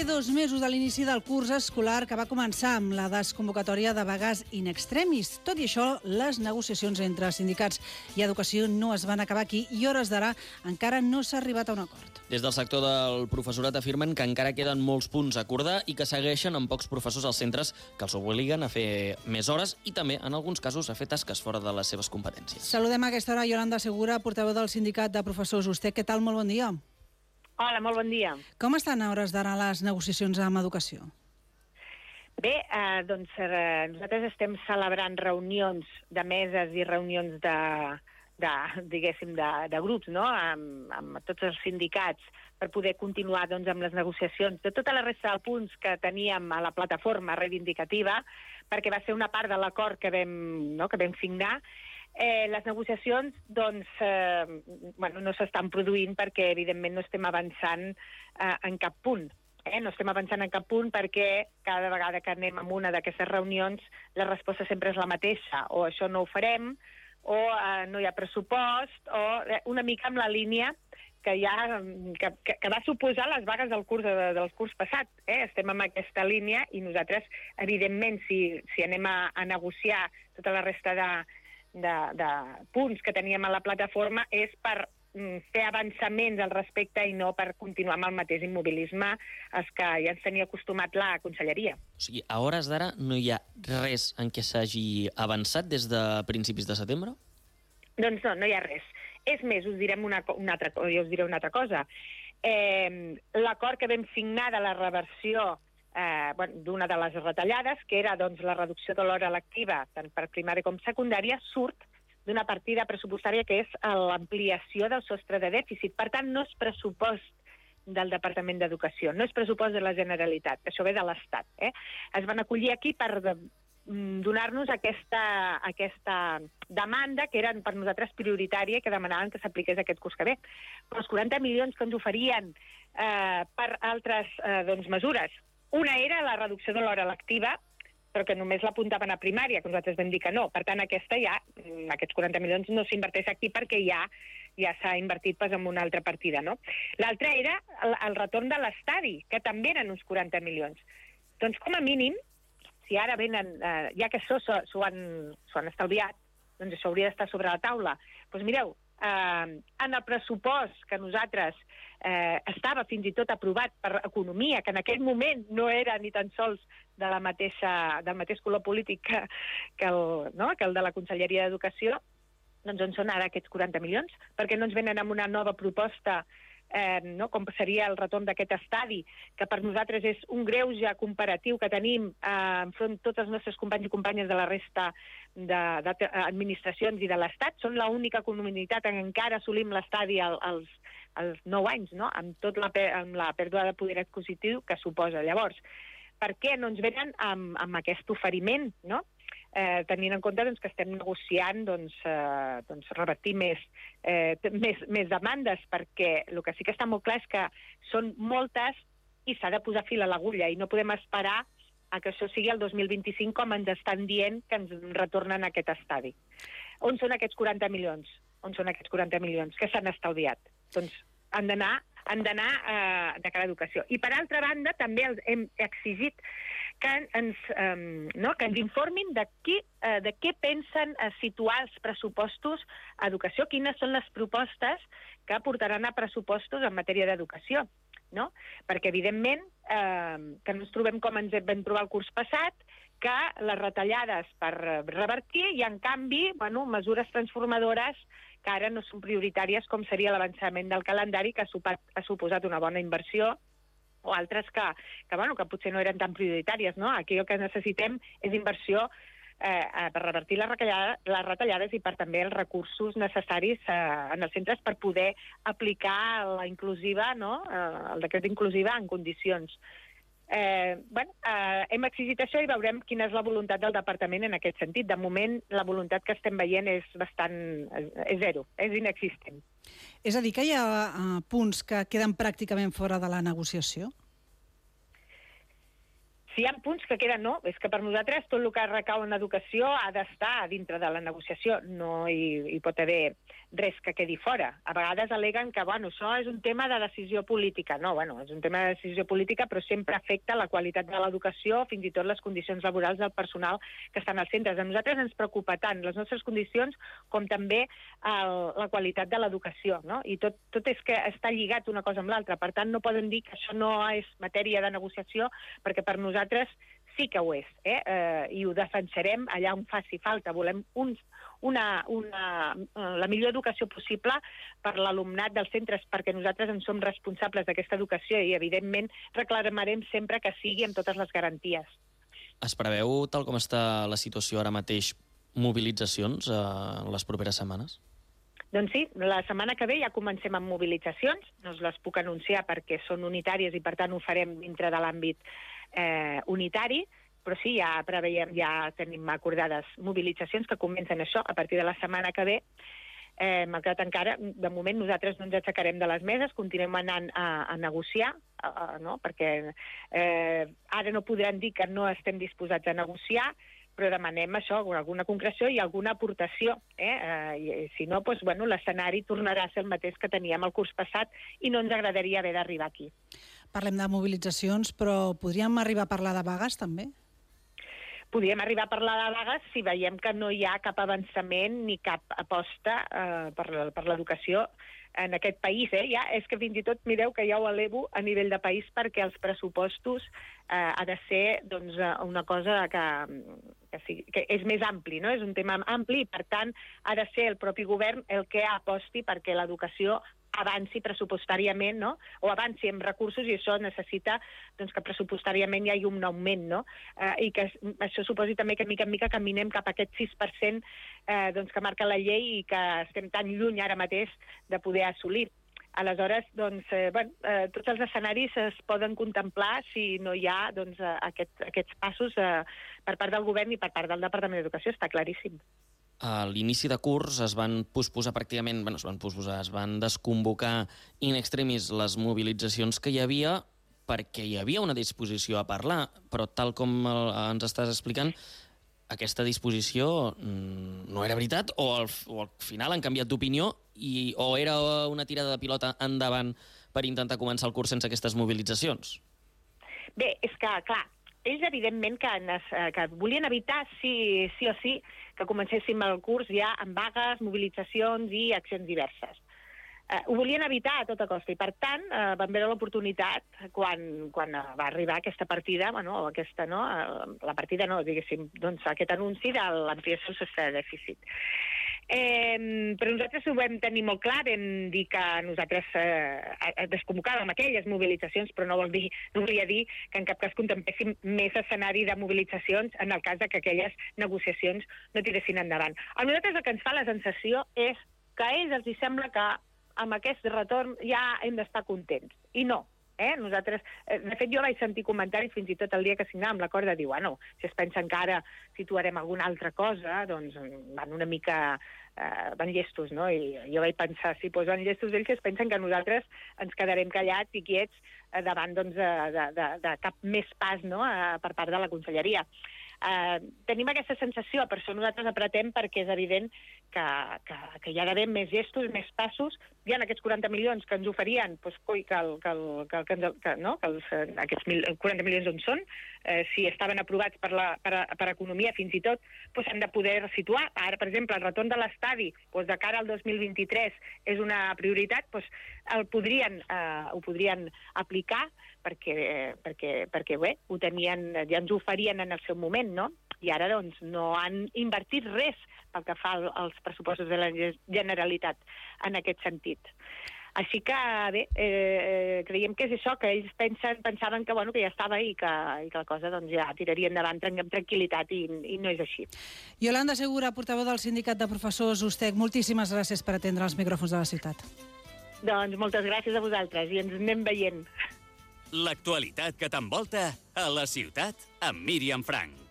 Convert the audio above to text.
fer 2 mesos de l'inici del curs escolar que va començar amb la desconvocatòria de vagues in extremis. Tot i això, les negociacions entre sindicats i educació no es van acabar aquí i, hores d'ara, encara no s'ha arribat a un acord. Des del sector del professorat afirmen que encara queden molts punts a acordar i que segueixen amb pocs professors als centres que els obliguen a fer més hores i també, en alguns casos, a fer tasques fora de les seves competències. Saludem a aquesta hora Yolanda Segura, portaveu del sindicat de professors. Vostè, què tal? Molt bon dia. Hola, molt bon dia. Com estan a hores d'ara les negociacions amb educació? Bé, nosaltres estem celebrant reunions de meses i reunions de grups, no?, amb tots els sindicats per poder continuar amb les negociacions de tota la resta de punts que teníem a la plataforma reivindicativa, perquè va ser una part de l'acord que vam signar. Les negociacions no s'estan produint perquè, evidentment, no estem avançant en cap punt. No estem avançant en cap punt perquè cada vegada que anem a una d'aquestes reunions la resposta sempre és la mateixa, o això no ho farem, o no hi ha pressupost, o una mica amb la línia que va suposar les vagues del curs passat. Estem en aquesta línia i nosaltres, evidentment, si anem a negociar tota la resta de punts que teníem a la plataforma és per fer avançaments al respecte i no per continuar amb el mateix immobilisme als que ja ens tenia acostumat la conselleria. O sigui, a hores d'ara no hi ha res en què s'hagi avançat des de principis de setembre? Doncs no hi ha res. És més, us diré una altra cosa. L'acord que vam signar de la reversió d'una de les retallades, que era la reducció de l'hora lectiva tant per primària com secundària, surt d'una partida pressupostària que és l'ampliació del sostre de dèficit. Per tant, no és pressupost del Departament d'Educació, no és pressupost de la Generalitat, això ve de l'Estat. Es van acollir aquí per donar-nos aquesta demanda que era per nosaltres prioritària i que demanaven que s'apliqués aquest curs que ve. Però els 40 milions que ens oferien per altres mesures, una era la reducció de l'hora lectiva, però que només l'apuntaven a primària, que nosaltres vam dir que no. Per tant, aquests 40 milions no s'inverteix aquí perquè ja s'ha invertit en una altra partida, no? L'altra era el retorn de l'estadi, que també eren uns 40 milions. Doncs, com a mínim, si ara venen, ja que això s'ho han estalviat, doncs això hauria d'estar sobre la taula. Doncs mireu, en el pressupost que nosaltres estava fins i tot aprovat per Economia, que en aquell moment no era ni tan sols del mateix color polític que el de la Conselleria d'Educació, doncs on són ara aquests 40 milions? Perquè no ens venen amb una nova proposta, com seria el retorn d'aquest estadi, que per nosaltres és un greuge comparatiu que tenim enfront de tots els nostres companys i companyes de la resta d'administracions i de l'Estat. Són l'única comunitat en què encara assolim l'estadi als 9 anys, no?, amb la pèrdua de poder adquisitiu que suposa. Llavors, per què no ens venen amb aquest oferiment, no?, tenint en compte que estem negociant revertir més demandes, perquè el que sí que està molt clar és que són moltes i s'ha de posar fil a l'agulla i no podem esperar a que això sigui el 2025 com ens estan dient que ens retornen aquest estadi. On són aquests 40 milions? On són aquests 40 milions que s'han estalviat? Doncs han d'anar de cara a educació. I per altra banda també hem exigit que ens informin de què pensen situar els pressupostos a educació, quines són les propostes que portaran a pressupostos en matèria d'educació, no? Perquè, evidentment, que no ens trobem com ens vam trobar el curs passat, que les retallades per revertir i, en canvi, mesures transformadores que ara no són prioritàries, com seria l'avançament del calendari, que ha suposat una bona inversió, o altres que potser no eren tan prioritàries, no? Aquí el que necessitem és inversió per revertir les retallades i per també els recursos necessaris en els centres per poder aplicar la inclusiva, no?, el decret d'inclusiva en condicions. Hem exigit això i veurem quina és la voluntat del departament en aquest sentit. De moment, la voluntat que estem veient és zero, és inexistent. És a dir, que hi ha punts que queden pràcticament fora de la negociació? Si hi ha punts que queden, no. És que per nosaltres tot el que recau en educació ha d'estar dintre de la negociació. No hi pot haver res que quedi fora. A vegades aleguen que, això és un tema de decisió política. No, és un tema de decisió política, però sempre afecta la qualitat de l'educació, fins i tot les condicions laborals del personal que estan als centres. A nosaltres ens preocupa tant les nostres condicions com també la qualitat de l'educació, no? I tot és que està lligat una cosa amb l'altra. Per tant, no poden dir que això no és matèria de negociació, perquè per nosaltres sí que ho és, i ho defensarem allà on faci falta. Volem la millor educació possible per l'alumnat dels centres, perquè nosaltres en som responsables d'aquesta educació i, evidentment, reclamarem sempre que sigui amb totes les garanties. Es preveu, tal com està la situació ara mateix, mobilitzacions en les properes setmanes? Doncs sí, la setmana que ve ja comencem amb mobilitzacions, no us les puc anunciar perquè són unitàries i per tant ho farem dintre de l'àmbit unitari, però sí, ja tenim acordades mobilitzacions que comencen això a partir de la setmana que ve. Malgrat encara, de moment nosaltres no ens aixecarem de les meses, continuem anant a negociar, no? Perquè ara no podran dir que no estem disposats a negociar, però demanem això, alguna concreció i alguna aportació. I, si no, l'escenari tornarà a ser el mateix que teníem el curs passat i no ens agradaria haver d'arribar aquí. Parlem de mobilitzacions, però podríem arribar a parlar de vagues, també? Podríem arribar a parlar de vagues si veiem que no hi ha cap avançament ni cap aposta per l'educació en aquest país. Ja, és que fins i tot, mireu que ja ho elevo a nivell de país perquè els pressupostos ha de ser una cosa que és més ampli, no? És un tema ampli i, per tant, ha de ser el propi govern el que aposti perquè l'educació avanci pressupostàriament, no? O avanci amb recursos, i això necessita que pressupostàriament hi hagi un augment, no? I que això suposi també que mica en mica caminem cap a aquest 6% que marca la llei i que estem tan lluny ara mateix de poder assolir. Aleshores, tots els escenaris es poden contemplar si no hi ha aquests passos per part del govern i per part del Departament d'Educació, està claríssim. A l'inici de curs es van posposar pràcticament, es van desconvocar in extremis les mobilitzacions que hi havia perquè hi havia una disposició a parlar, però tal com ens estàs explicant, aquesta disposició no era veritat o al final han canviat d'opinió o era una tirada de pilota endavant per intentar començar el curs sense aquestes mobilitzacions? Bé, és que, clar, ells evidentment que volien evitar, sí o sí, que comencéssim el curs ja amb vagues, mobilitzacions i accions diverses. Ho volien evitar a tota costa i, per tant, van veure l'oportunitat quan va arribar aquesta partida, aquest anunci de l'ampliació del sostre de dèficit. Però nosaltres ho vam tenir molt clar, vam dir que nosaltres desconvocàvem aquelles mobilitzacions, però no volia dir que en cap cas contempléssim més escenari de mobilitzacions en el cas que aquelles negociacions no tiressin endavant. A nosaltres el que ens fa la sensació és que a ells els sembla que amb aquest retorn ja hem d'estar contents. I no. Nosaltres, de fet, jo vaig sentir comentaris fins i tot el dia que signàvem l'acord de dir, si es pensen que ara situarem alguna altra cosa, doncs van una mica van llestos, no? I jo vaig pensar, si van llestos ells, es pensen que nosaltres ens quedarem callats i quiets davant de cap més pas, no?, per part de la conselleria. Tenim aquesta sensació, per això nosaltres apretem, perquè és evident que hi ha d'haver més gestos, més passos. Hi ha aquests 40 milions que ens oferien, aquests 40 milions on són, si estaven aprovats per Economia, fins i tot s'han de poder situar. Ara, per exemple, el retorn de l'estadi de cara al 2023 és una prioritat, ho podrien aplicar perquè bé, ho tenien, ja ens ho oferien en el seu moment, no? I ara no han invertit res pel que fa als pressupostos de la Generalitat en aquest sentit. Així que, bé, creiem que és això, que ells pensaven que ja estava i que la cosa ja tiraria endavant amb tranquil·litat i no és així. Iolanda Segura, portaveu del Sindicat de Professors USTEC, moltíssimes gràcies per atendre els micròfons de la ciutat. Doncs moltes gràcies a vosaltres i ens anem veient. L'actualitat que t'envolta a la ciutat amb Míriam Frank.